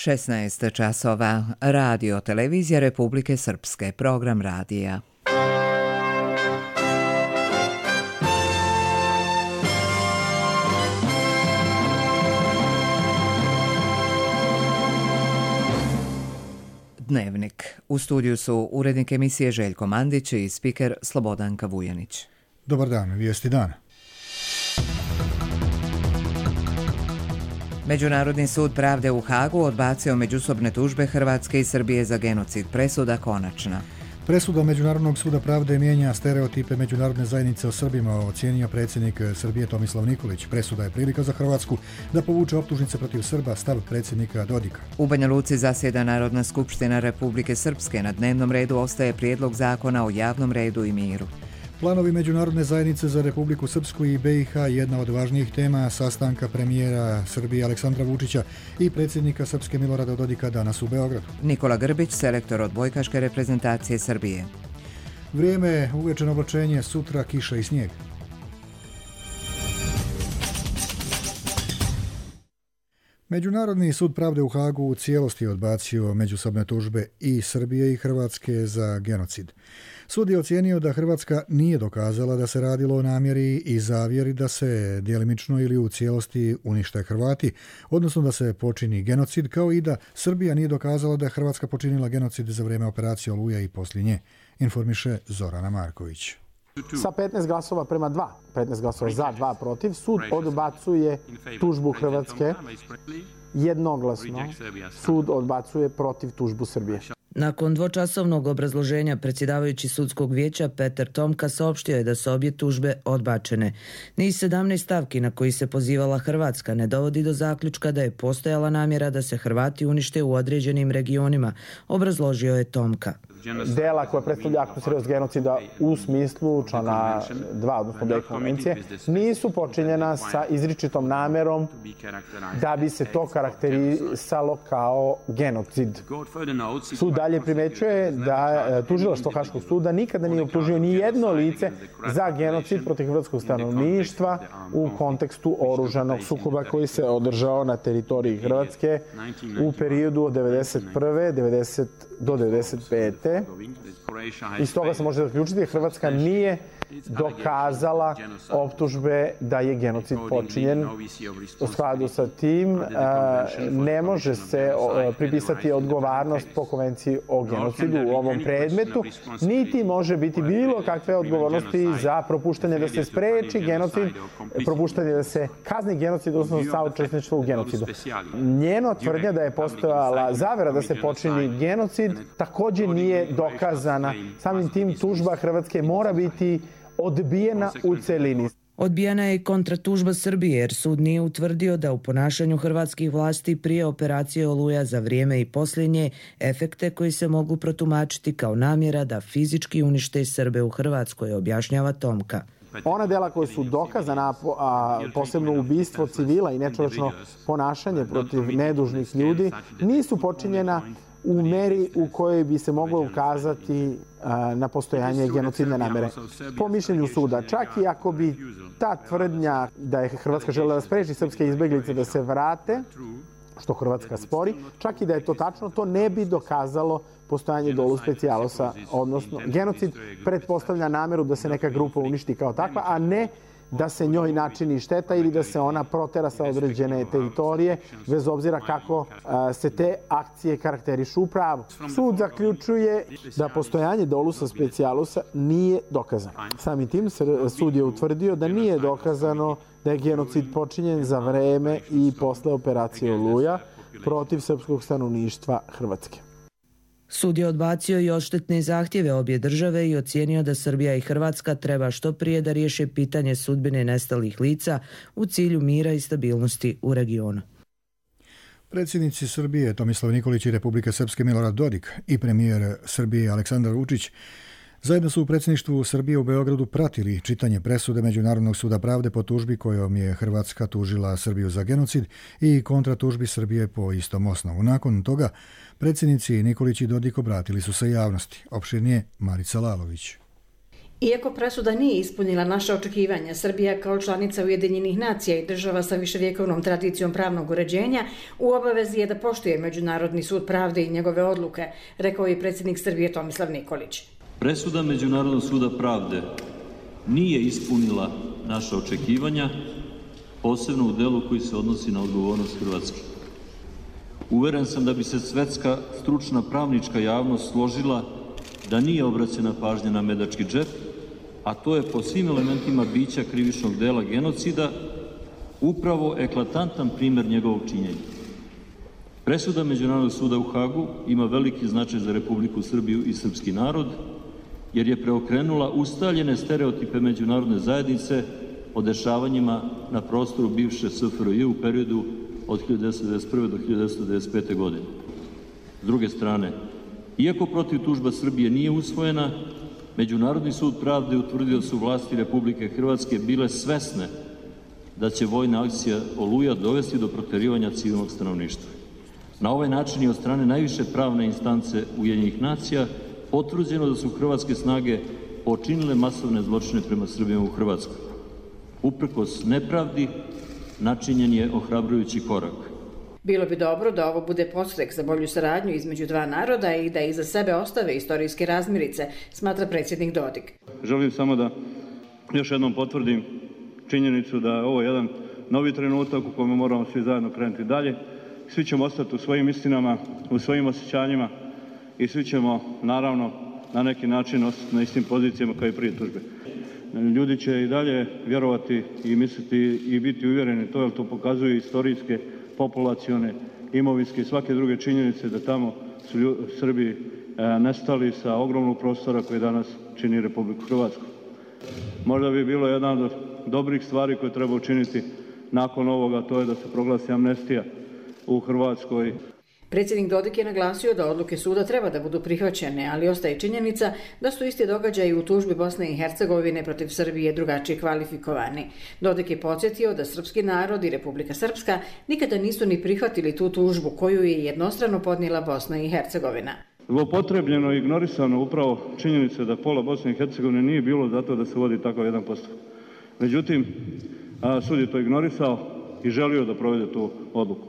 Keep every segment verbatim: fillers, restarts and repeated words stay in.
šesnaest časova. Radio Televizija Republike Srpske. Program radija. Dnevnik. U studiju su urednik emisije Željko Mandić i spiker Slobodanka Vujanić. Dobar dan, vijesti dana. Međunarodni sud pravde u Hagu odbacio međusobne tužbe Hrvatske i Srbije za genocid. Presuda konačna. Presuda Međunarodnog suda pravde mijenja stereotipe međunarodne zajednice o Srbima, ocijenio predsjednik Srbije Tomislav Nikolić. Presuda je prilika za Hrvatsku da povuče optužnice protiv Srba, stav predsjednika Dodika. U Banja Luci zasjeda Narodna skupština Republike Srpske. Na dnevnom redu ostaje prijedlog zakona o javnom redu i miru. Planovi međunarodne zajednice za Republiku Srpsku i B i H jedna od važnijih tema sastanka premijera Srbije Aleksandra Vučića i predsjednika Srpske Milorada Dodika danas u Beogradu. Nikola Grbić, selektor odbojkaške reprezentacije Srbije. Vrijeme, uvečeno oblačenje, sutra kiša i snijeg. Međunarodni sud pravde u Hagu u cijelosti je odbacio međusobne tužbe i Srbije i Hrvatske za genocid. Sud je ocijenio da Hrvatska nije dokazala da se radilo o namjeri i zavjeri da se djelimično ili u cijelosti unište Hrvati, odnosno da se počini genocid, kao i da Srbija nije dokazala da je Hrvatska počinila genocid za vrijeme operacije Oluja i poslije nje, informiše Zorana Marković. Sa petnaest glasova prema dva, petnaest glasova za, dva protiv, sud odbacuje tužbu Hrvatske. Jednoglasno sud odbacuje protiv tužbu Srbije. Nakon dvočasovnog obrazloženja predsjedavajući sudskog vijeća Petar Tomka saopštio je da su obje tužbe odbačene. Niz sedamnaest stavki na koji se pozivala Hrvatska ne dovodi do zaključka da je postojala namjera da se Hrvati unište u određenim regionima, obrazložio je Tomka. Dela koja predstavlja akt serioznog genocida u smislu člana dva, odnosno B konvencije, nisu počinjena sa izričitom namerom da bi se to karakterisalo kao genocid. Sud dalje primećuje da tužilaštvo Haškog suda nikada nije optužio ni jedno lice za genocid protiv hrvatskog stanovništva u kontekstu oružanog sukoba koji se održao na teritoriji Hrvatske u periodu od devedeset prve do devedeset pete Iz toga se može zaključiti da Hrvatska nije dokazala optužbe da je genocid počinjen. U skladu sa tim ne može se pripisati odgovornost po konvenciji o genocidu u ovom predmetu, niti može biti bilo kakve odgovornosti za propuštanje da se spreči genocid, propuštanje da se kazni genocid, odnosno saučesništvo u genocidu. Njeno tvrdnja da je postojala zavera da se počini genocid također nije dokazana. Samim tim tužba Hrvatske mora biti odbijena u celini. Odbijena je i kontratužba Srbije jer sud nije utvrdio da u ponašanju hrvatskih vlasti prije operacije Oluja za vrijeme i posljednje efekte koji se mogu protumačiti kao namjera da fizički unište Srbe u Hrvatskoj, objašnjava Tomka. Ona dela koja su dokazana, a posebno ubistvo civila i nečovečno ponašanje protiv nedužnih ljudi, nisu počinjena u meri u kojoj bi se moglo ukazati na postojanje genocidne namere. Po mišljenju suda, čak i ako bi ta tvrdnja da je Hrvatska želela da spreči srpske izbjeglice da se vrate, što Hrvatska spori, čak i da je to tačno, to ne bi dokazalo postojanje dolus specialosa, odnosno genocid pretpostavlja nameru da se neka grupa uništi kao takva, a ne da se njoj načini šteta ili da se ona protera sa određene teritorije, bez obzira kako a, se te akcije karakterišu u pravu. Sud zaključuje da postojanje dolusa specialusa nije dokazano. Samim tim sud je utvrdio da nije dokazano da je genocid počinjen za vreme i posle operacije Oluja protiv srpskog stanovništva Hrvatske. Sud je odbacio i odštetne zahtjeve obje države i ocijenio da Srbija i Hrvatska treba što prije da riješe pitanje sudbine nestalih lica u cilju mira i stabilnosti u regionu. Predsjednici Srbije Tomislav Nikolić i Republike Srpske Milorad Dodik i premijer Srbije Aleksandar Vučić zajedno su u predsjedništvu Srbije u Beogradu pratili čitanje presude Međunarodnog suda pravde po tužbi kojom je Hrvatska tužila Srbiju za genocid i kontratužbi Srbije po istom osnovu. Nakon toga predsjednici Nikolić i Dodik obratili su se javnosti. Opširnije Marica Lalović. Iako presuda nije ispunila naša očekivanja, Srbija kao članica Ujedinjenih nacija i država sa viševjekovnom tradicijom pravnog uređenja u obavezi je da poštuje Međunarodni sud pravde i njegove odluke, rekao je predsjednik Srbije Tomislav Nikolić. Presuda Međunarodnog suda pravde nije ispunila naša očekivanja, posebno u delu koji se odnosi na odgovornost Hrvatske. Uveren sam da bi se svetska stručna pravnička javnost složila da nije obraćena pažnja na medački džep, a to je po svim elementima bića krivičnog dela genocida upravo eklatantan primjer njegovog činjenja. Presuda Međunarodnog suda u Hagu ima veliki značaj za Republiku Srbiju i srpski narod, jer je preokrenula ustaljene stereotipe međunarodne zajednice o dešavanjima na prostoru bivše S F R J u periodu od hiljadu devetsto devedeset prve do hiljadu devetsto devedeset pete. godine. S druge strane, iako protiv tužba Srbije nije usvojena, Međunarodni sud pravde utvrdio da su vlasti Republike Hrvatske bile svesne da će vojna akcija Oluja dovesti do proterivanja civilnog stanovništva. Na ovaj način je od strane najviše pravne instance Ujedinjenih nacija potvrđeno da su hrvatske snage počinile masovne zločine prema Srbima u Hrvatskoj. Uprkos nepravdi, načinjen je ohrabrujući korak. Bilo bi dobro da ovo bude podstrek za bolju saradnju između dva naroda i da iza sebe ostave istorijske razmirice, smatra predsjednik Dodik. Želim samo da još jednom potvrdim činjenicu da je ovo jedan novi trenutak u kojem moramo svi zajedno krenuti dalje. Svi ćemo ostati u svojim istinama, u svojim osjećanjima i svi ćemo, naravno, na neki način ostati na istim pozicijama kao i prije tužbe. Ljudi će i dalje vjerovati i misliti i biti uvjereni to, jer to pokazuju istorijske, populacione, imovinske i svake druge činjenice da tamo su ljudi, Srbi e, nestali sa ogromnog prostora koji danas čini Republiku Hrvatsku. Možda bi bilo jedna od dobrih stvari koje treba učiniti nakon ovoga, to je da se proglasi amnestija u Hrvatskoj. Predsjednik Dodik je naglasio da odluke suda treba da budu prihvaćene, ali ostaje činjenica da su isti događaji u tužbi Bosne i Hercegovine protiv Srbije drugačije kvalifikovani. Dodik je podsjetio da srpski narod i Republika Srpska nikada nisu ni prihvatili tu tužbu koju je jednostrano podnijela Bosna i Hercegovina. Zloupotrebljeno i ignorisano upravo činjenice da pola Bosne i Hercegovine nije bilo zato da se vodi takav jedan postupak. Međutim, sud je to ignorisao i želio da provede tu odluku.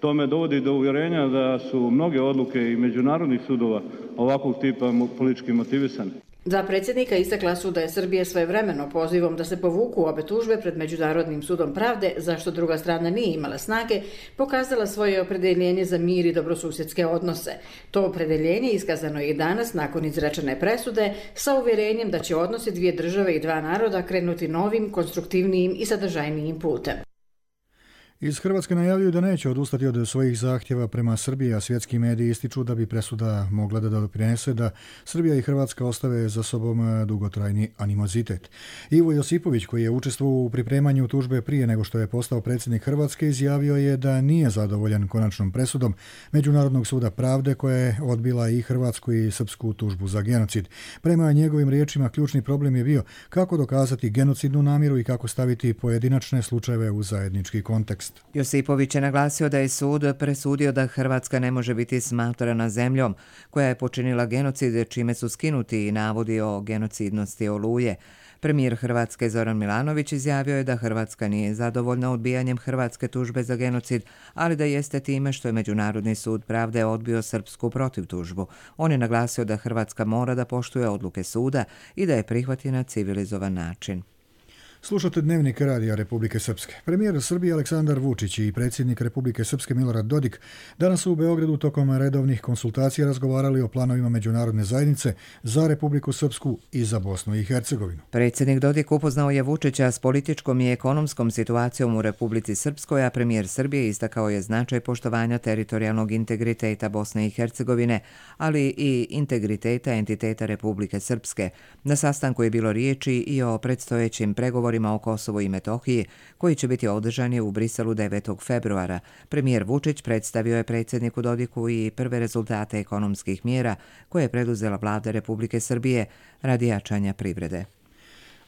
To me dovodi do uvjerenja da su mnoge odluke i međunarodnih sudova ovakvog tipa politički motivisane. Za predsjednika istakla su da je Srbija svojevremeno pozivom da se povuku obe tužbe pred Međunarodnim sudom pravde, zašto druga strana nije imala snage, pokazala svoje opredeljenje za mir i dobrosusjedske odnose. To opredeljenje iskazano je i danas nakon izrečene presude sa uvjerenjem da će odnosi dvije države i dva naroda krenuti novim, konstruktivnijim i sadržajnijim putem. Iz Hrvatske najavljuju da neće odustati od svojih zahtjeva prema Srbiji, a svjetski mediji ističu da bi presuda mogla da doprinese da Srbija i Hrvatska ostave za sobom dugotrajni animozitet. Ivo Josipović, koji je učestvovao u pripremanju tužbe prije nego što je postao predsjednik Hrvatske, izjavio je da nije zadovoljan konačnom presudom Međunarodnog suda pravde koja je odbila i hrvatsku i srpsku tužbu za genocid. Prema njegovim riječima, ključni problem je bio kako dokazati genocidnu namjeru i kako staviti pojedinačne slučajeve u zajednički kontekst. Josipović je naglasio da je sud presudio da Hrvatska ne može biti smatrana zemljom koja je počinila genocid, čime su skinuti i navodi o genocidnosti Oluje. Premijer Hrvatske Zoran Milanović izjavio je da Hrvatska nije zadovoljna odbijanjem hrvatske tužbe za genocid, ali da jeste time što je Međunarodni sud pravde odbio srpsku protivtužbu. On je naglasio da Hrvatska mora da poštuje odluke suda i da je prihvati na civilizovan način. Slušate Dnevnik radija Republike Srpske. Premijer Srbije Aleksandar Vučić i predsjednik Republike Srpske Milorad Dodik danas su u Beogradu tokom redovnih konsultacija razgovarali o planovima međunarodne zajednice za Republiku Srpsku i za Bosnu i Hercegovinu. Predsjednik Dodik upoznao je Vučića s političkom i ekonomskom situacijom u Republici Srpskoj, a premijer Srbije istakao je značaj poštovanja teritorijalnog integriteta Bosne i Hercegovine, ali i integriteta entiteta Republike Srpske. Na sastanku je bilo riječi i o predstojećim pregovorima o Kosovu i Metohiji, koji će biti održani u Briselu devetog februara. Premijer Vučić predstavio je predsjedniku Dodiku i prve rezultate ekonomskih mjera koje je preduzela vlada Republike Srbije radi jačanja privrede.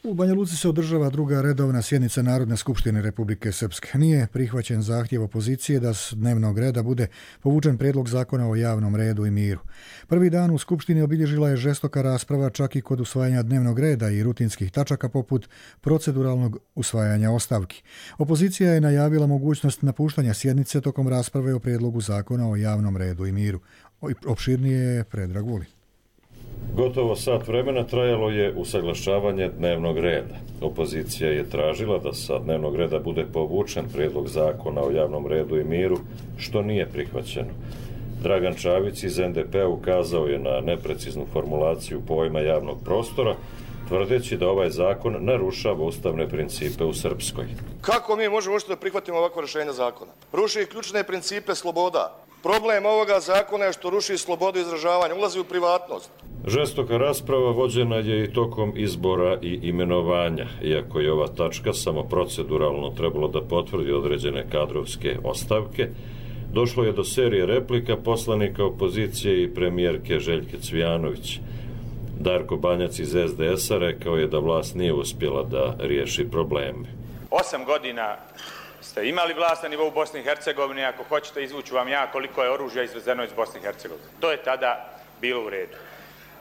U Banja Luci se održava druga redovna sjednica Narodne skupštine Republike Srpske. Nije prihvaćen zahtjev opozicije da s dnevnog reda bude povučen prijedlog zakona o javnom redu i miru. Prvi dan u skupštini obilježila je žestoka rasprava čak i kod usvajanja dnevnog reda i rutinskih tačaka poput proceduralnog usvajanja ostavki. Opozicija je najavila mogućnost napuštanja sjednice tokom rasprave o prijedlogu zakona o javnom redu i miru. Opširnije je Predrag Vulin. Gotovo sat vremena trajalo je usaglašavanje dnevnog reda. Opozicija je tražila da sa dnevnog reda bude povučen prijedlog zakona o javnom redu i miru, što nije prihvaćeno. Dragan Čavić iz en de pe-a ukazao je na nepreciznu formulaciju pojma javnog prostora, tvrdeći da ovaj zakon narušava ustavne principe u Srpskoj. Kako mi možemo da prihvatimo ovakvo rješenje zakona? Ruši ključne principe sloboda. Problem ovoga zakona je što ruši slobodu izražavanja, ulazi u privatnost. Žestoka rasprava vođena je i tokom izbora i imenovanja, iako je ova tačka samo proceduralno trebalo da potvrdi određene kadrovske ostavke. Došlo je do serije replika poslanika opozicije i premijerke Željke Cvijanović. Darko Banjac iz es de es-a rekao je da vlast nije uspjela da riješi probleme. Osam godina ste imali vlast na nivou Bosne i Hercegovine, ako hoćete izvući vam ja koliko je oružja izvezeno iz Bosne i Hercegovine. To je tada bilo u redu.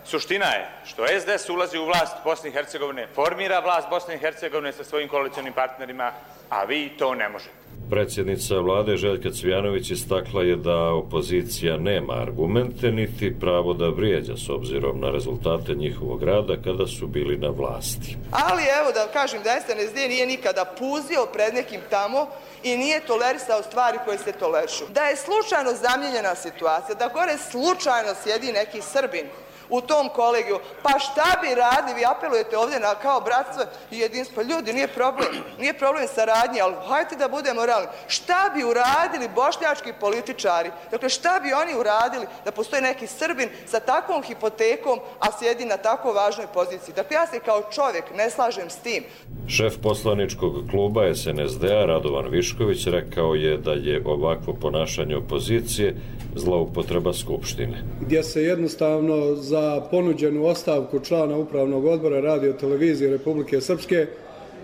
Suština je što es de es ulazi u vlast Bosne i Hercegovine, formira vlast Bosne i Hercegovine sa svojim koalicionim partnerima, a vi to ne možete. Predsjednica vlade Željka Cvijanović istakla je da opozicija nema argumente niti pravo da vrijeđa s obzirom na rezultate njihovog rada kada su bili na vlasti. Ali evo da kažem da es en es de nije nikada puzio pred nekim tamo i nije tolerisao stvari koje se tolerišu. Da je slučajno zamijenjena situacija, da gore slučajno sjedi neki Srbin u tom kolegiju, pa šta bi radili, vi apelujete ovdje na kao bratstvo i jedinstvo, pa ljudi, nije problem, nije problem saradnje, ali hajte da budemo realni. Šta bi uradili bošnjački političari, dakle šta bi oni uradili da postoji neki Srbin sa takvom hipotekom, a sjedi na tako važnoj poziciji. Dakle, ja se kao čovjek ne slažem s tim. Šef poslaničkog kluba es en es de-a Radovan Višković rekao je da je ovakvo ponašanje opozicije zloupotreba Skupštine. Gdje se jednostavno za ponuđenu ostavku člana Upravnog odbora Radio televizije Republike Srpske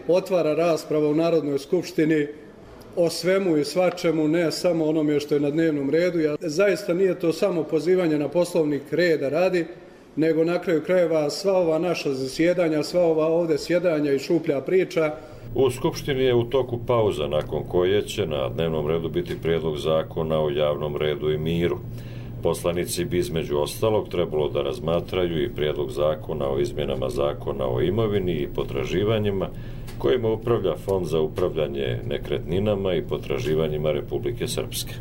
otvara rasprava u Narodnoj skupštini o svemu i svačemu, ne samo onome što je na dnevnom redu. Ja, zaista nije to samo pozivanje na poslovnik reda radi, nego na kraju krajeva sva ova naša zasjedanja, sva ova ovdje sjedanja i šuplja priča. U Skupštini je u toku pauza nakon koje će na dnevnom redu biti prijedlog zakona o javnom redu i miru. Poslanici bi između ostalog trebalo da razmatraju i prijedlog zakona o izmjenama zakona o imovini i potraživanjima kojima upravlja Fond za upravljanje nekretninama i potraživanjima Republike Srpske.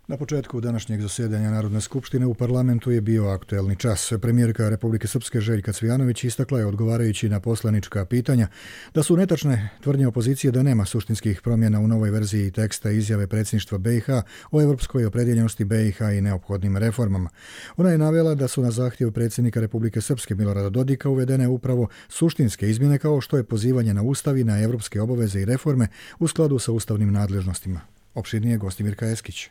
Na početku današnjeg zasjedanja Narodne skupštine u parlamentu je bio aktuelni čas. Premijerka Republike Srpske Željka Cvijanović istakla je odgovarajući na poslanička pitanja da su netačne tvrdnje opozicije da nema suštinskih promjena u novoj verziji teksta izjave predsjedništva be i ha o evropskoj opredjeljenosti be i ha i neophodnim reformama. Ona je navela da su na zahtjev predsjednika Republike Srpske Milorada Dodika uvedene upravo suštinske izmjene kao što je pozivanje na ustav i na evropske obaveze i reforme u skladu sa ustavnim nadležnostima. Opširnije Gostimirka Eskić.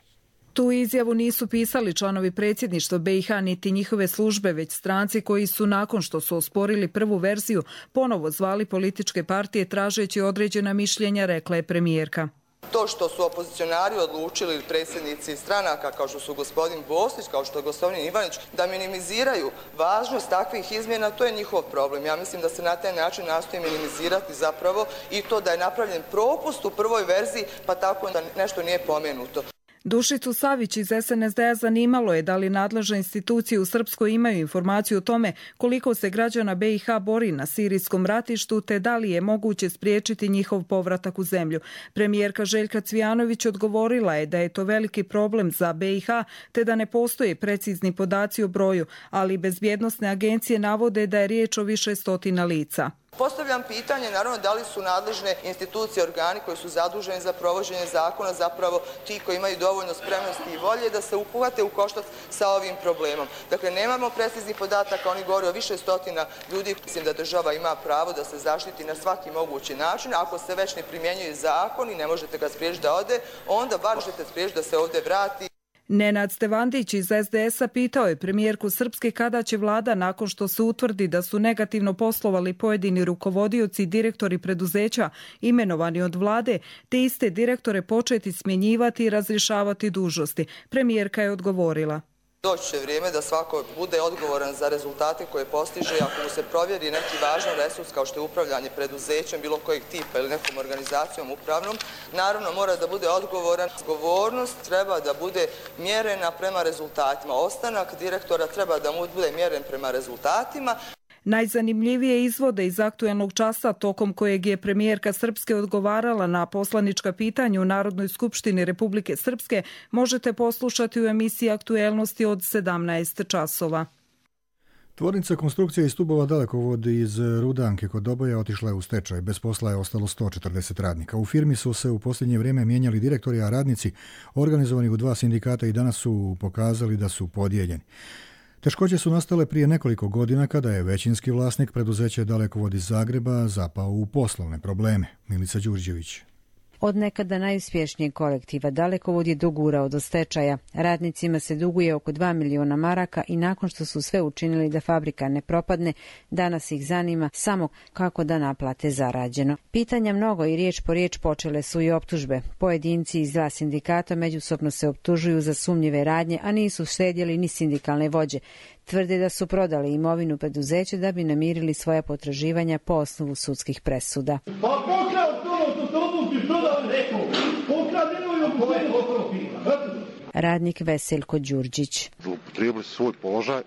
Tu izjavu nisu pisali članovi predsjedništva be i ha niti njihove službe, već stranci koji su nakon što su osporili prvu verziju ponovo zvali političke partije tražeći određena mišljenja, rekla je premijerka. To što su opozicionari odlučili predsjednici stranaka kao što su gospodin Bosnić, kao što je gospodin Ivanić, da minimiziraju važnost takvih izmjena, to je njihov problem. Ja mislim da se na taj način nastoji minimizirati zapravo i to da je napravljen propust u prvoj verziji, pa tako da nešto nije pomenuto. Dušicu Savić iz es en es de-a zanimalo je da li nadležne institucije u Srpskoj imaju informaciju o tome koliko se građana be i ha bori na sirijskom ratištu te da li je moguće spriječiti njihov povratak u zemlju. Premijerka Željka Cvijanović odgovorila je da je to veliki problem za be i ha te da ne postoje precizni podaci o broju, ali bezbjednosne agencije navode da je riječ o više stotina lica. Postavljam pitanje, naravno, da li su nadležne institucije, organi koji su zaduženi za provođenje zakona zapravo ti koji imaju dovoljno spremnosti i volje da se uhvate u koštac sa ovim problemom. Dakle, nemamo preciznih podataka, oni govore o više stotina ljudi. Mislim da država ima pravo da se zaštiti na svaki mogući način. Ako se već ne primjenjuje zakon i ne možete ga spriječiti da ode, onda bar možete spriječiti da se ovdje vrati. Nenad Stevandić iz es de es-a pitao je premijerku Srpske kada će vlada, nakon što se utvrdi da su negativno poslovali pojedini rukovodioci i direktori preduzeća imenovani od vlade, te iste direktore početi smjenjivati i razrješavati dužnosti. Premijerka je odgovorila: Doći će vrijeme da svako bude odgovoran za rezultate koje postiže. Ako mu se provjeri neki važan resurs kao što je upravljanje preduzećem bilo kojeg tipa ili nekom organizacijom upravnom, naravno mora da bude odgovoran. Odgovornost treba da bude mjerena prema rezultatima. Ostanak direktora treba da mu bude mjeren prema rezultatima. Najzanimljivije izvode iz aktuelnog časa, tokom kojeg je premijerka Srpske odgovarala na poslanička pitanja u Narodnoj skupštini Republike Srpske, možete poslušati u emisiji Aktuelnosti od sedamnaest časova. Tvornica konstrukcija i stubova Dalekovod iz Rudanke kod Doboja otišla je u stečaj. Bez posla je ostalo sto četrdeset radnika. U firmi su se u posljednje vrijeme mijenjali direktori, a radnici organizovani u dva sindikata i danas su pokazali da su podijeljeni. Teškoće su nastale prije nekoliko godina kada je većinski vlasnik preduzeća Dalekovod iz Zagreba zapao u poslovne probleme. Milica Đurđević. Od nekada najuspješnijeg kolektiva Dalekovod je dogurao do stečaja. Radnicima se duguje oko dva miliona maraka i nakon što su sve učinili da fabrika ne propadne, danas ih zanima samo kako da naplate zarađeno. Pitanja mnogo i riječ po riječ počele su i optužbe. Pojedinci iz dva sindikata međusobno se optužuju za sumnjive radnje, a nisu štedjeli ni sindikalne vođe. Tvrde da su prodali imovinu preduzeća da bi namirili svoja potraživanja po osnovu sudskih presuda. Pa pokrao to, to se odluči prodali rekao. Pokradeno je opuštenje. Radnik Veseljko Đurđić. Zloupotrijebili su svoj položaj,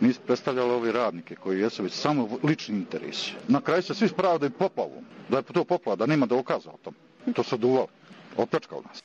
nisu predstavljali ove radnike koji jesu već samo lični interesi. Na kraju se svi spravdaju poplavom, da je to poplava, da nema dokaza o tom. To se duvalo.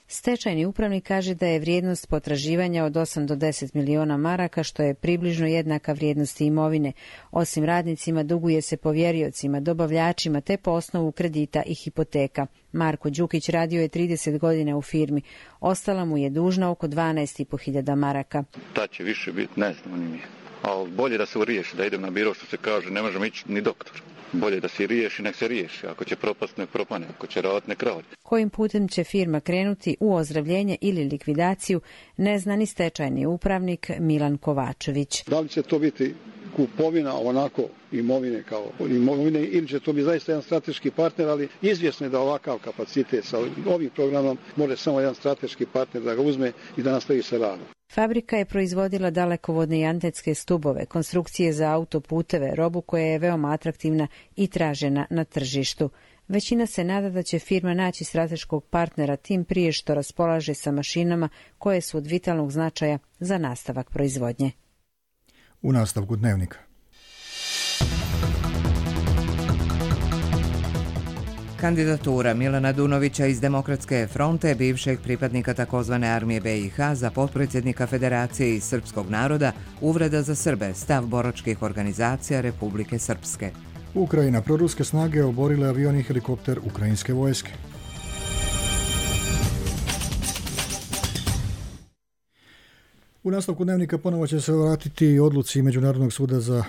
Stečajni upravnik kaže da je vrijednost potraživanja od osam do deset miliona maraka, što je približno jednaka vrijednosti imovine. Osim radnicima, duguje se povjeriocima, dobavljačima te po osnovu kredita i hipoteka. Marko Đukić radio je trideset godina u firmi. Ostala mu je dužna oko dvanaest i po hiljada maraka. Ta će više biti, ne znam, on mi je. Ali bolje da se riješi, da idem na biro, što se kaže, ne možemo ići ni doktor. Bolje da se riješi, nek se riješi. Ako će propast, nek propane. Ako će raditi, nek radi. Kojim putem će firma krenuti u ozdravljenje ili likvidaciju, ne zna ni stečajni upravnik Milan Kovačević. Da li će to biti kupovina onako imovine kao imovine ili će to biti zaista jedan strateški partner, ali izvjesno je da ovakav kapacitet sa ovim programom može samo jedan strateški partner da ga uzme i da nastavi sa radom. Fabrika je proizvodila dalekovodne i antenske stubove, konstrukcije za autoputeve, robu koja je veoma atraktivna i tražena na tržištu. Većina se nada da će firma naći strateškog partnera tim prije što raspolaže sa mašinama koje su od vitalnog značaja za nastavak proizvodnje. U nastavku dnevnika. Kandidatura Milana Dunovića iz Demokratske fronte, bivšeg pripadnika takozvane armije be i ha za potpredsjednika Federacije i srpskog naroda, uvreda za Srbe, stav boračkih organizacija Republike Srpske. Ukrajina, proruske snage oborile avion i helikopter ukrajinske vojske. U nastavku dnevnika ponovo će se vratiti odluci Međunarodnog suda za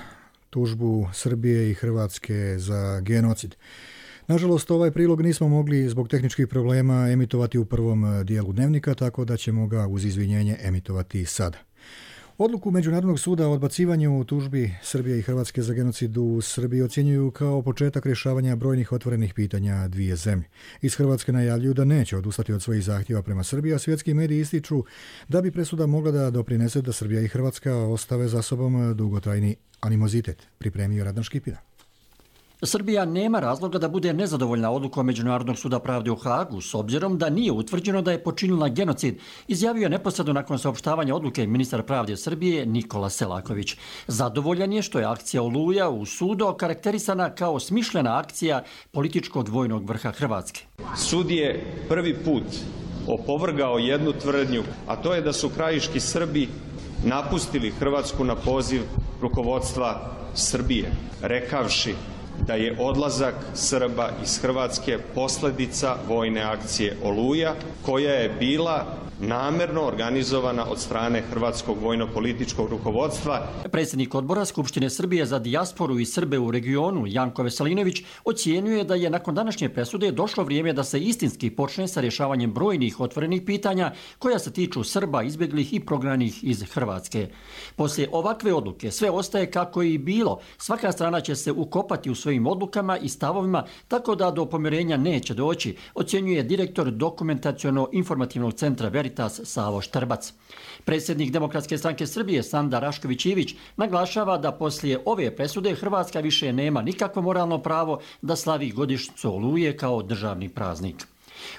tužbu Srbije i Hrvatske za genocid. Nažalost, ovaj prilog nismo mogli zbog tehničkih problema emitovati u prvom dijelu dnevnika, tako da ćemo ga uz izvinjenje emitovati sada. Odluku Međunarodnog suda o odbacivanju tužbi Srbije i Hrvatske za genocid u Srbiji ocjenjuju kao početak rješavanja brojnih otvorenih pitanja dvije zemlje. Iz Hrvatske najavljuju da neće odustati od svojih zahtjeva prema Srbiji, a svjetski mediji ističu da bi presuda mogla da doprinese da Srbija i Hrvatska ostave za sobom dugotrajni animozitet, pripremio Radan Škipina. Srbija nema razloga da bude nezadovoljna odlukom Međunarodnog suda pravde u Hagu, s obzirom da nije utvrđeno da je počinila genocid, izjavio je neposredno nakon saopštavanja odluke ministar pravde Srbije Nikola Selaković. Zadovoljan je što je akcija Oluja u sudu okarakterisana kao smišljena akcija političkog vojnog vrha Hrvatske. Sud je prvi put opovrgao jednu tvrdnju, a to je da su krajiški Srbi napustili Hrvatsku na poziv rukovodstva Srbije, rekavši da je odlazak Srba iz Hrvatske posljedica vojne akcije Oluja, koja je bila namerno organizovana od strane hrvatskog vojno-političkog rukovodstva. Predsjednik odbora Skupštine Srbije za dijasporu i Srbe u regionu, Janko Veselinović, ocjenjuje da je nakon današnje presude došlo vrijeme da se istinski počne sa rješavanjem brojnih otvorenih pitanja koja se tiču Srba izbjeglih i prognanih iz Hrvatske. Poslije ovakve odluke sve ostaje kako je i bilo. Svaka strana će se ukopati u svojim odlukama i stavovima, tako da do pomirenja neće doći, ocjenjuje direktor Dokumentaciono-informativnog centra Veritas Savo Štrbac. Predsjednik Demokratske stranke Srbije Sanda Rašković-Ivić naglašava da poslije ove presude Hrvatska više nema nikakvo moralno pravo da slavi godišnjicu Oluje kao državni praznik.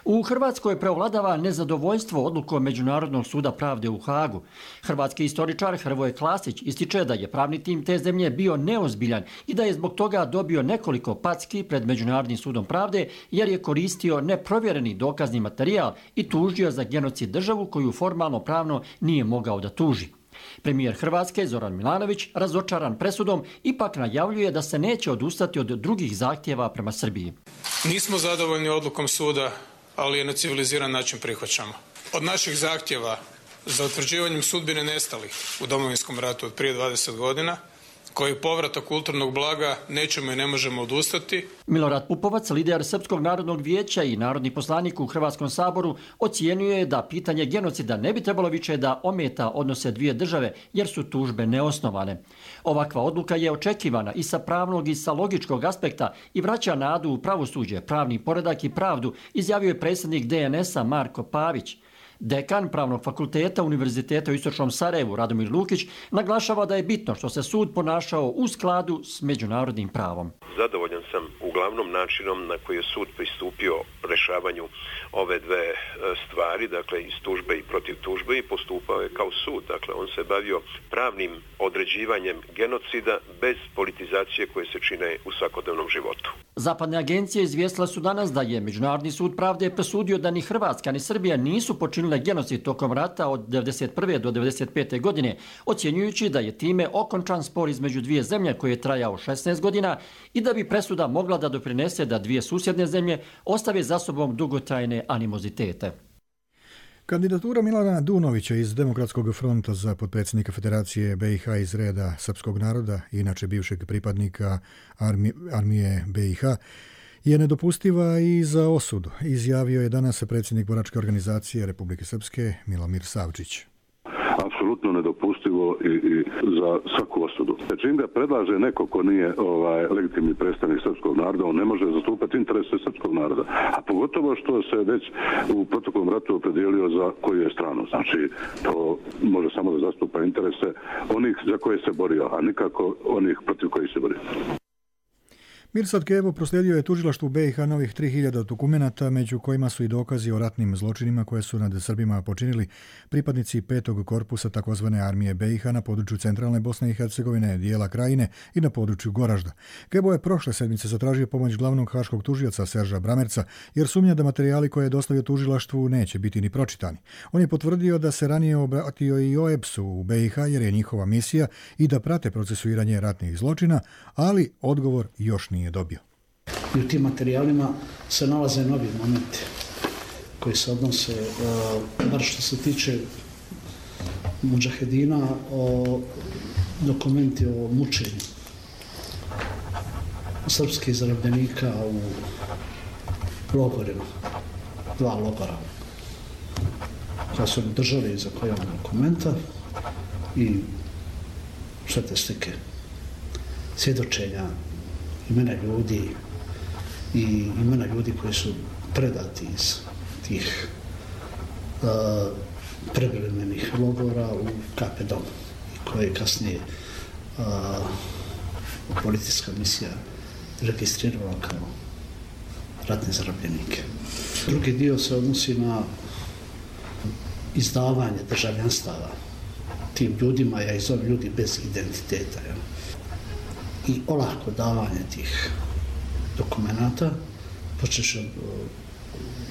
U Hrvatskoj preovladava nezadovoljstvo odlukom Međunarodnog suda pravde u Hagu. Hrvatski istoričar Hrvoje Klasić ističe da je pravni tim te zemlje bio neozbiljan i da je zbog toga dobio nekoliko packi pred Međunarodnim sudom pravde jer je koristio neprovjereni dokazni materijal i tužio za genocid državu koju formalno pravno nije mogao da tuži. Premijer Hrvatske Zoran Milanović, razočaran presudom, ipak najavljuje da se neće odustati od drugih zahtjeva prema Srbiji. Nismo zadovoljni odlukom suda, ali je na civiliziran način prihvaćamo. Od naših zahtjeva za utvrđivanjem sudbine nestalih u Domovinskom ratu od prije dvadeset godina, koji povrata kulturnog blaga nećemo i ne možemo odustati. Milorad Pupovac, lider Srpskog narodnog vijeća i narodni poslanik u Hrvatskom saboru, ocijenjuje da pitanje genocida ne bi trebalo više da ometa odnose dvije države jer su tužbe neosnovane. Ovakva odluka je očekivana i sa pravnog i sa logičkog aspekta i vraća nadu u pravosuđe, pravni poredak i pravdu, izjavio je predsjednik D N S-a Marko Pavić. Dekan Pravnog fakulteta Univerziteta u Istočnom Sarajevu Radomir Lukić naglašava da je bitno što se sud ponašao u skladu s međunarodnim pravom. Zadovoljan sam uglavnom načinom na koji je sud pristupio rješavanju ove dve stvari, dakle iz tužbe i protiv tužbe, i postupao je kao sud. Dakle, on se bavio pravnim određivanjem genocida bez politizacije koje se čine u svakodnevnom životu. Zapadne agencije izvijestile su danas da je Međunarodni sud pravde presudio da ni Hrvatska ni Srbija nisu počinile genocid tokom rata od devedeset prve do devedeset pete godine, ocjenjujući da je time okončan spor između dvije zemlje koji je trajao šesnaest godina i da bi presuda mogla da doprinese da dvije susjedne zemlje ostave za sobom dugotrajne animozitete. Kandidatura Milana Dunovića iz Demokratskog fronta za potpredsjednika Federacije B i H iz reda srpskog naroda, inače bivšeg pripadnika armi, armije B i H, je nedopustiva i za osudu, izjavio je danas predsjednik boračke organizacije Republike Srpske Milomir Savčić. Apsolutno nedopustivo i, i za svaku osudu. Čim ga predlaže neko ko nije ovaj, legitimni predstavnik srpskog naroda, on ne može zastupati interese srpskog naroda. A pogotovo što se već u proteklom ratu opredijelio za koju je stranu. Znači, to može samo da zastupa interese onih za koje se borio, a nikako onih protiv kojih se borio. Mirsad Kevo proslijedio je tužilaštvu B i H novih tri hiljade dokumenata, među kojima su i dokazi o ratnim zločinima koje su nad Srbima počinili pripadnici petog korpusa takozvane armije B i H na području centralne Bosne i Hercegovine, dijela Krajine i na području Goražda. Kevo je prošle sedmice zatražio pomoć glavnog haškog tužioca Serža Bramerca, jer sumnja da materijali koje je dostavio tužilaštvu neće biti ni pročitani. On je potvrdio da se ranije obratio i O E B S-u u B i H jer je njihova misija i da prate procesuiranje ratnih zločina, ali odgovor još nije nije dobio. I u tim materijalima se nalaze novi momenti koji se odnose, bar što se tiče mudžahedina, o dokumenti o mučenju srpskih zarobljenika u logorima, dva logora koja su držali za koja dokumenta i sve te slike, svjedočenja, imena ljudi i imena ljudi koji su predati iz tih uh, prevremenih logora u K P Dom i koje je kasnije uh, policijska misija registrirala kao ratne zarobljenike. Drugi dio se odnosi na izdavanje državljanstava tim ljudima, ja ih zovem ljudi bez identiteta. Ja. I olako davanje tih dokumenata, počeš od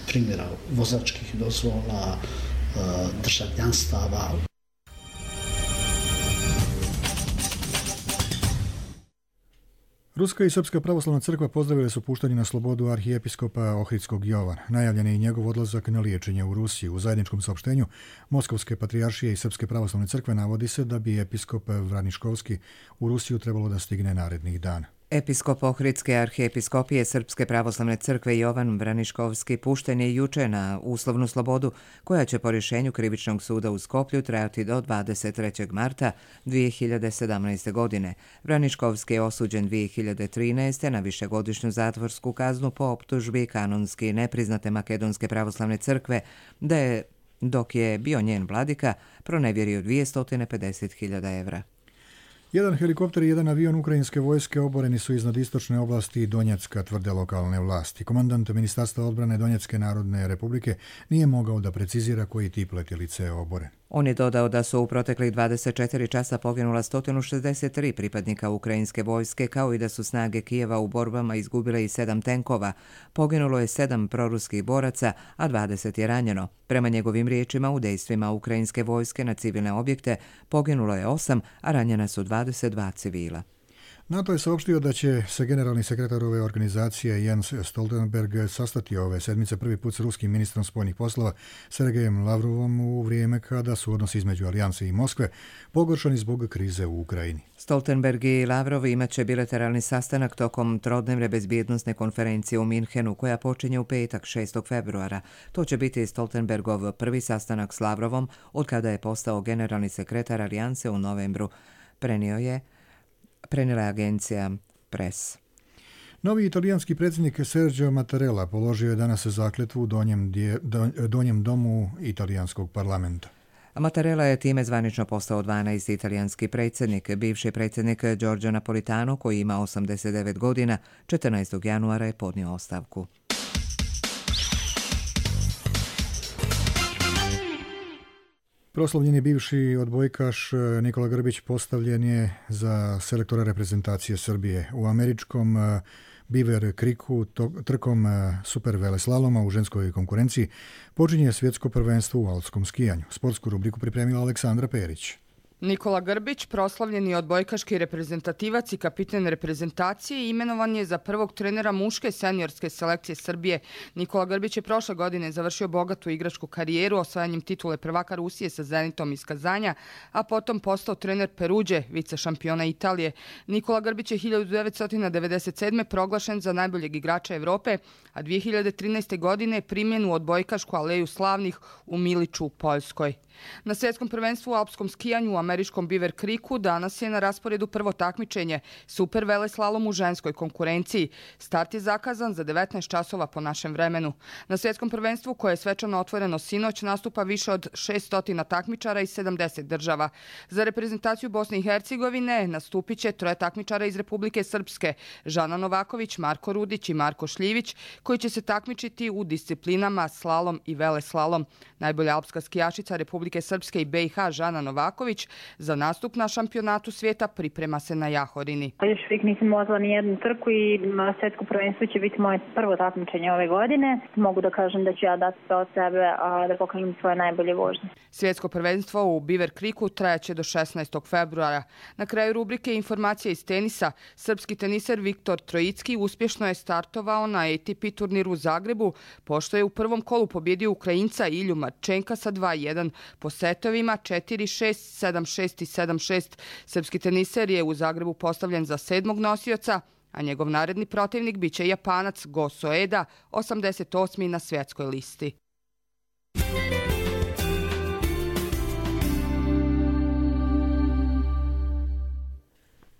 primjera vozačkih dozvola, državljanstava. Ruska i Srpska pravoslavna crkva pozdravile su puštanje na slobodu arhijepiskopa Ohridskog Jovana. Najavljen je i njegov odlazak na liječenje u Rusiji. U zajedničkom saopštenju Moskovske patrijaršije i Srpske pravoslavne crkve navodi se da bi episkop Vraniškovski u Rusiju trebalo da stigne narednih dana. Episkop Ohridske arhijepiskopije Srpske pravoslavne crkve Jovan Vraniškovski pušten je juče na uslovnu slobodu koja će po rješenju Krivičnog suda u Skoplju trajati do dvadeset trećeg marta dvije hiljade sedamnaeste. godine. Vraniškovski je osuđen dvije hiljade trinaeste. na višegodišnju zatvorsku kaznu po optužbi kanonski nepriznate Makedonske pravoslavne crkve da je, dok je bio njen vladika, pronevjerio dvjesto pedeset hiljada evra. Jedan helikopter i jedan avion ukrajinske vojske oboreni su iznad istočne oblasti Donjecka, tvrde lokalne vlasti. Komandant Ministarstva odbrane Donjecke narodne republike nije mogao da precizira koji tip letjelice je oboren. On je dodao da su u proteklih dvadeset četiri časa poginula sto šezdeset tri pripadnika ukrajinske vojske, kao i da su snage Kijeva u borbama izgubile i sedam tenkova. Poginulo je sedam proruskih boraca, a dvadeset je ranjeno. Prema njegovim riječima, u dejstvima ukrajinske vojske na civilne objekte poginulo je osam, a ranjena su dvadeset dva civila. NATO je saopštio da će se generalni sekretar ove organizacije Jens Stoltenberg sastati ove sedmice prvi put s ruskim ministrom spoljnih poslova Sergejem Lavrovom u vrijeme kada su odnosi između Alijanse i Moskve pogoršani zbog krize u Ukrajini. Stoltenberg i Lavrov imat će bilateralni sastanak tokom trodnevne bezbjednosne konferencije u Minhenu koja počinje u petak šestog februara. To će biti Stoltenbergov prvi sastanak s Lavrovom od kada je postao generalni sekretar Alijanse u novembru. Prenio je Prenijela je agencija Press. Novi italijanski predsjednik Sergio Mattarella položio je danas zakletvu u donjem, dje, donjem domu italijanskog parlamenta. Mattarella je time zvanično postao dvanaesti italijanski predsjednik. Bivši predsjednik Giorgio Napolitano, koji ima osamdeset devet godina, četrnaestog januara je podnio ostavku. Proslavljeni bivši odbojkaš Nikola Grbić postavljen je za selektora reprezentacije Srbije. U američkom Beaver Creeku trkom super veleslaloma u ženskoj konkurenciji počinje svjetsko prvenstvo u alpskom skijanju. Sportsku rubriku pripremila Aleksandra Perić. Nikola Grbić, proslavljeni odbojkaški reprezentativac i kapiten reprezentacije, imenovan je za prvog trenera muške seniorske selekcije Srbije. Nikola Grbić je prošle godine završio bogatu igračku karijeru osvajanjem titule prvaka Rusije sa Zenitom iz Kazanja, a potom postao trener Peruđe, vice šampiona Italije. Nikola Grbić je hiljadu devetsto devedeset sedme. proglašen za najboljeg igrača Evrope, a dvije hiljade trinaeste. godine primljen u odbojkašku aleju slavnih u Miliću u Poljskoj. Na svjetskom prvenstvu u alpskom skijanju u američkom Beaver Creeku danas je na rasporedu prvo takmičenje super veleslalom u ženskoj konkurenciji. Start je zakazan za devetnaest časova po našem vremenu. Na svjetskom prvenstvu, koje je svečano otvoreno sinoć, nastupa više od šesto takmičara iz sedamdeset država. Za reprezentaciju Bosne i Hercegovine nastupit će troje takmičara iz Republike Srpske, Žana Novaković, Marko Rudić i Marko Šljivić, koji će se takmičiti u disciplinama slalom i veleslalom. Najbolja alpska skijašica Republike Srpske i B i H Žana Novaković za nastup na šampionatu svijeta priprema se na Jahorini. Još uvijek nisam vozila ni jednu trku i svjetsko prvenstvo će biti moje prvo takmičenje ove godine. Mogu da kažem da ću ja dati sve od sebe, a da pokažem svoje najbolje vožnje. Svjetsko prvenstvo u Beaver Creeku trajaće do šesnaestog februara. Na kraju rubrike informacije iz tenisa, srpski teniser Viktor Trojicki uspješno je startovao na A T P turniru u Zagrebu, pošto je u prvom kolu pobjedio Ukrajinca Ilju Marčenka sa dva jedan. Po setovima četiri šest, sedam šest i sedam šest. Srpski teniser je u Zagrebu postavljen za sedmog nosioca, a njegov naredni protivnik biće Japanac Go Soeda, osamdeset osmi na svjetskoj listi.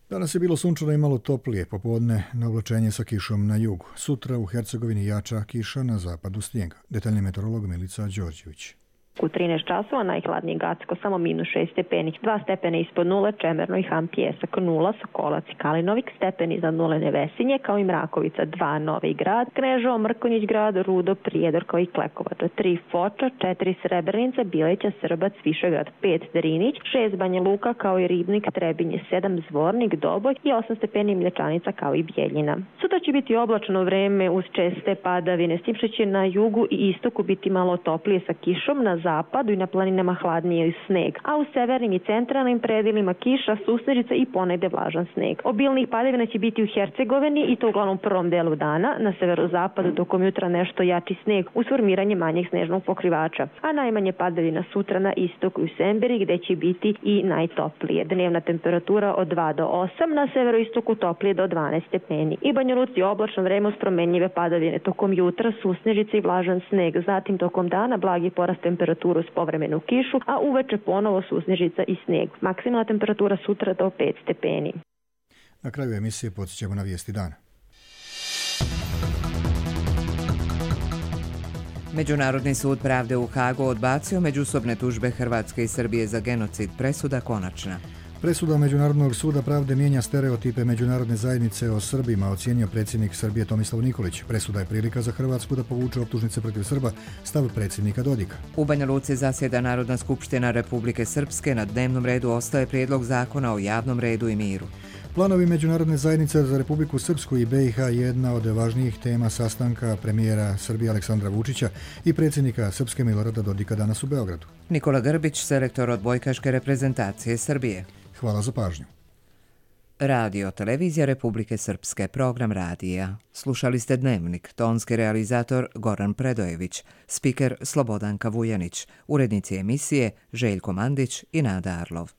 Danas je bilo sunčano i malo toplije, popodne na oblačenje sa kišom na jugu. Sutra u Hercegovini jača kiša, na zapadu snijeg. Detaljni meteorolog Milica Đorđević. U trinaest časova najhladniji Gacko, samo minus šest stepeni, dva stepena ispod nule, Čemerno i Han Pjesak nula, Sokolac i Kalinovik, stepeni iznad nule Nevesinje, kao i Mrakovica dva, Novi Grad, Kneževo, Mrkonjić Grad, Rudo, Prijedor, kao i Klekovača tri, Foča, četiri, Srebrenica, Bileća, Srbac, Višegrad pet, Drinić, šest, Banja Luka, kao i Ribnik, Trebinje sedam, Zvornik, Doboj i osam stepeni Mlječanica, kao i Bjeljina. Sutra će biti oblačno vreme uz česte padavine, s tim što će na jugu i istoku biti malo toplije sa kišom, na severozapadu i na planinama hladniji sneg, a u severnim i centralnim predelima kiša, susnežica i ponegde vlažan sneg. Obilnih padavina će biti u Hercegovini i to uglavnom u prvom delu dana, na severozapadu tokom jutra nešto jači sneg uz formiranje manjeg snežnog pokrivača, a najmanje padavina sutra na istoku i u Semberi gde će biti i najtoplije. Dnevna temperatura od dva do osam, na severoistoku toplije do dvanaest stepeni. I Banja Luci oblačno vreme uz promenljive padavine tokom jutra, susnežice i vlažan sneg, zatim tokom dana blagi porast temperaturu s povremenu kišu, a uveče ponovo susnežica i sneg. Maksimalna temperatura sutra do pet stepeni. Na kraju emisije podsjećamo na vijesti dana. Međunarodni sud pravde u Hagu odbacio međusobne tužbe Hrvatske i Srbije za genocid. Presuda konačna. Presuda Međunarodnog suda pravde mijenja stereotipe međunarodne zajednice o Srbima, ocijenio predsjednik Srbije Tomislav Nikolić. Presuda je prilika za Hrvatsku da povuče optužnice protiv Srba, stav predsjednika Dodika. U Banja Luci zasjeda Narodna skupština Republike Srpske. Na dnevnom redu ostaje prijedlog zakona o javnom redu i miru. Planovi međunarodne zajednice za Republiku Srpsku i B i H jedna od važnijih tema sastanka premijera Srbije Aleksandra Vučića i predsjednika Srpske Milorada Dodika danas u Beogradu. Nikola Grbić, selektor odbojkaške reprezentacije Srbije. Hvala za pažnju. Radio Televizija Republike Srpske, program radija. Slušali ste Dnevnik, tonski realizator Goran Predojević, spiker Slobodanka Vujanić, urednici emisije Željko Mandić i Nada Arlov.